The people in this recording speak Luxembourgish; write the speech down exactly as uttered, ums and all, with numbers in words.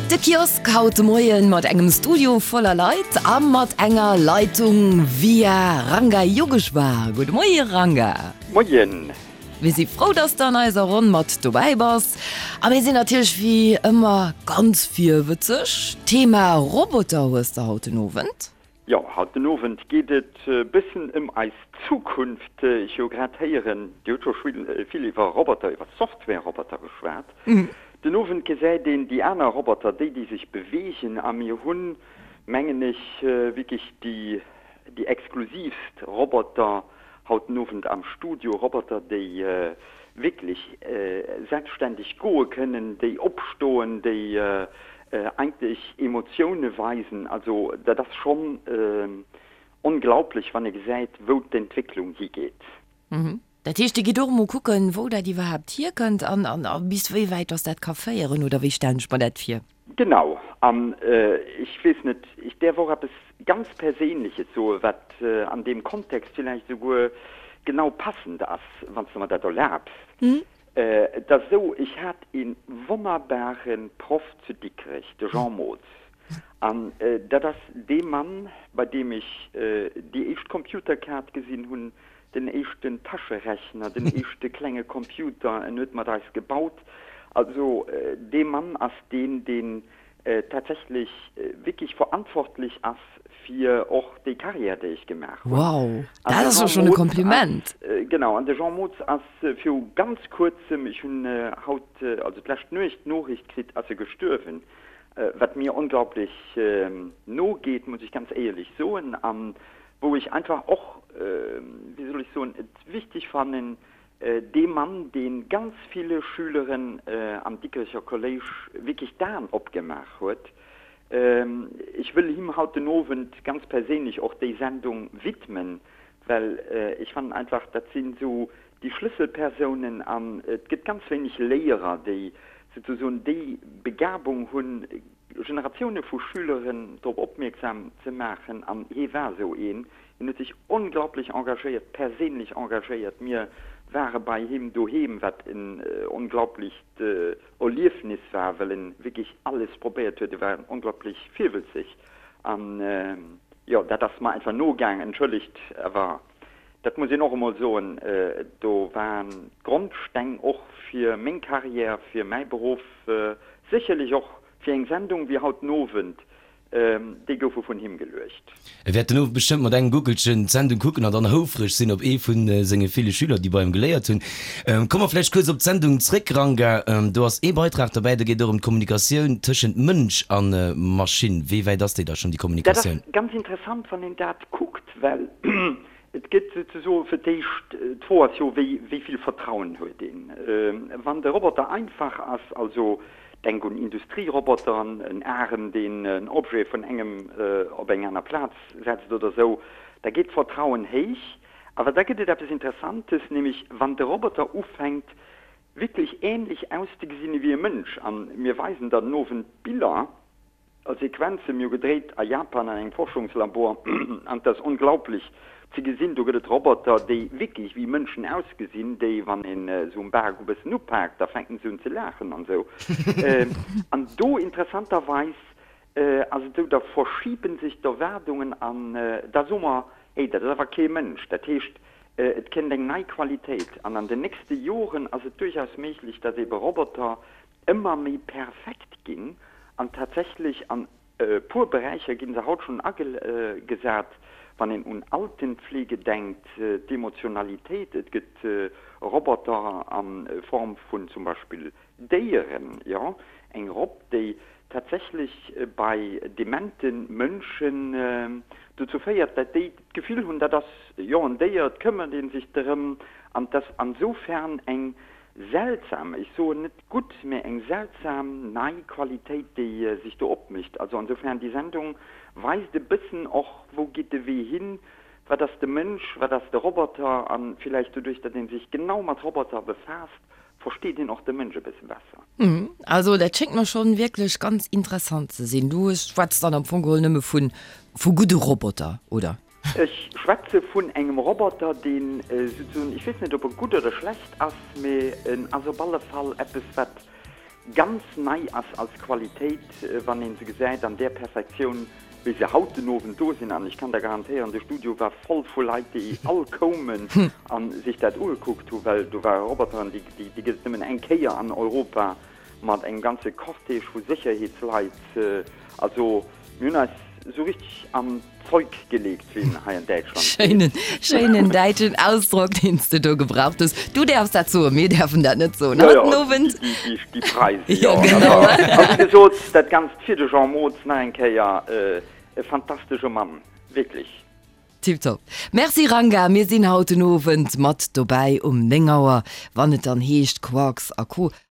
De Kiosk haut de Moien mat engem Studio voller Leit a mat enger Leitung via Ranga Yogeshwar. Gudde Moie Ranga. Moien. Mir si frou, dass de an eiser Ronn mat dobäi bass. A mir sinn natierlech wéi ëmmer ganz virwëtzeg. Thema Roboter hues de haut den Owend. Jo, haut den Owend geet et e bëssen ëm eis Zukunft. Ech hu grad héieren, Dir hutt scho vill iwwer Roboter, iwwer Software-Roboter geschwat. Den Owend gesäit een déi aner Roboter, déi, déi sech beweegen. A mir hunn, mengen ech, wierklech déi, déi exklusiivst Roboter haut den Owend am Studio. Roboter, déi wierklech selbstständeg goe kënnen, déi opstoen, déi eigentlech Emotioune weisen. Also dat ass schonn onglaublech, wann ee gesäit, wou d'Entwécklung higeet. Dat heescht, Dir gitt och emol kucken, wou dat iwwerhaapt hierkënnt an a bis wéi wäit dass dat ka féieren, oder wéi stellen ech mer dat vir? Genau. An ech weess net, ech däerf och eppes ganz Perséinleches soen, wat an deem Kontext villäicht esouguer genau passend ass, wann s de mer dat erlaabs. Et ass esou, ech hat ee wonnerbare Proff zu Dikrech, de Jean Mootz. An dat ass dee Mann, bei deem ech déi éischt Computerkaart gesinn hunn, den éischten Taschenrechner, den éischte klenge Computer, en huet mat eis gebaut. Also dee Mann ass deen, deen tatsächlech wierklech verantwortlech ass fir och déi Carrière, déi ech gemaach hunn. Wow, dat ass jo schonn e Kompliment! Genau, an de Jean Mootz ass viru ganz kuerzem, ech hunn haut, also d'lescht Nuecht d'Noriicht kritt, ass e gestuerwen, wat mir onglaublech no geet, muss ech ganz éierlech soen, a wou ech einfach och, wéi soll ech soen, et wichteg fannen, dee Mann, dee ganz ville Schüleren am Dikrecher Kolléisch wierklech d'Aen opgemaach huet. Ech wëll him haut den Owend ganz perséinlech och déi Sendung widmen, well ech fannen einfach, dat sinn esou déi Schlësselpersounen an et gëtt ganz wéineg Léierer, déi souzesoen déi Begabung hunn, Generatioune vu Schüleren drop opmierksam ze maachen an hee war esou een. Hien huet sech onglaublech engagéiert, perséinlech engagéiert. Mir ware bei him doheem, wat en onglaublicht Erliefnis war, well en wierklech alles probéiert huet. E war onglaublech virwëlzeg an jo, dat ass mer einfach nogaang. Entschëllegt, awer dat muss een och emol soen, do waren d'Grondsteng och fir meng Carrière, fir mäi Beruff, sécherlech och fir eng Sendung wéi haut den Owend, déi goufe vun him geluecht. E wäert den Owend bestëmmt mat engem Guckelchen d'Sendung kucken an dann houfreg sinn op ee vu senge ville Schüler, déi bei him geléiert hunn. Komme mer vläicht kuerz op d'Sendung zréck, Ranga. Do ass ee Beitrag derbäi, do geet et och ëm d'Kommunikatioun tëschent Mënsch a Maschinn. Wéi wäit ass déi da schonn, déi Dat ass Kommunikatioun? ganz interessant, wann een dat kuckt, well Et gëtt souzesoe fir d'éischt, d'Fro ass jo, wéi wéi vill Vertrauen huet een? Wann de Roboter einfach ass, also denk un Industrieroboteren, en Arem, deen en Objet vun engem op eng aner Plaz setzt oder esou, da geet d'Vertrauen héich. Awer da gëtt et eppes Interessantes, nämlech wann de Roboter ufänkt wierklech änlech auszegesinn ewéi e Mënsch, a mir weisen der den Owend Biller, A Sequenze, mir hu gedréit a Japan an engem Forschungslabor an et ass onglaublech ze gesinn, do gëtt et Roboter, déi wierklech wéi Mënschen ausgesinn, déi wann een se um Bak e bëssen upaakt, da fänken se un ze laachen an esou. An do interessanterweis ass et esou, da verschibe sech d'Erwaardungen an da soe mer, hey, dat ass awer kee Mënsch. Dat heescht, et kënnt eng nei Qualitéit an an den nächste Joren ass et duerchaus méiglech, datt eebe Roboter ëmmer méi perfekt ginn an tatsächlech an e puer Beräicher gi se haut schonn agesat, wann een un Altenpflege denkt, d'Emotionalitéit, et gëtt Roboter a Form vun zum Beispill Déieren, jo, eng Robb, déi tatsächlech bei demente Mënschen dozou féiert, dat déi d'Gefill hunn, dat ass jo en Déier, et këmmert ee sech drëm an 't ass ansoufern eng Seltsam, ech soen net gutt, mä eng seltsam nei Qualitéit, déi sech do opmécht. Also ansoufern, déi Sendung weist e bëssen och, wou geet de Wee hin, wat ass de Mënsch, wat ass de Roboter, a villäicht doduerch, datt ee sech genau mat Roboter befaasst, versteet een och de Mënsch e bësse besser. Also dat schéngt mer schonn wierklech ganz interessant ze sinn. Du schwätz dann am Fong geholl nëmme vu vu gudde Roboter, oder? Ech schwätze vun engem Roboter, deen souzesoen, ech weess net, ob e gutt oder schlecht ass, mee en ass op alle Fall eppes, wat ganz nei ass als Qualitéit, wann een se gesäit an där Perfektioun, wéi se haut den Owend do sinn. An ech kann der garantéieren, de Studio war voll vu Leit, déi all koumen a sech dat ugekuckt hu, well do ware Roboteren, déi, déi gëtt et nëmmen eng Kéier an Europa, mat engem ganze Cortège vu Sécherheetsleit. Also mir hunn eis esou richteg an d'Zeug geleegt, wéi een hei an Däitschland seet. Schéinen, schéinen däitschen Ausdrock, deen s de do gebraucht hues. Du däerfs dat soen, mir däerfen dat net soen. Jo, jo, déi, déi Preise, jo. Genau. A wéi gesot, dat Ganzt fir de Jean Mootz nach eng Kéier, e fantastesche Mann, wierklech. Tiptop. Merci Ranga, mir sinn haut den Owend mat dobäi um néng Auer, wann et dann heescht Quarks a Co.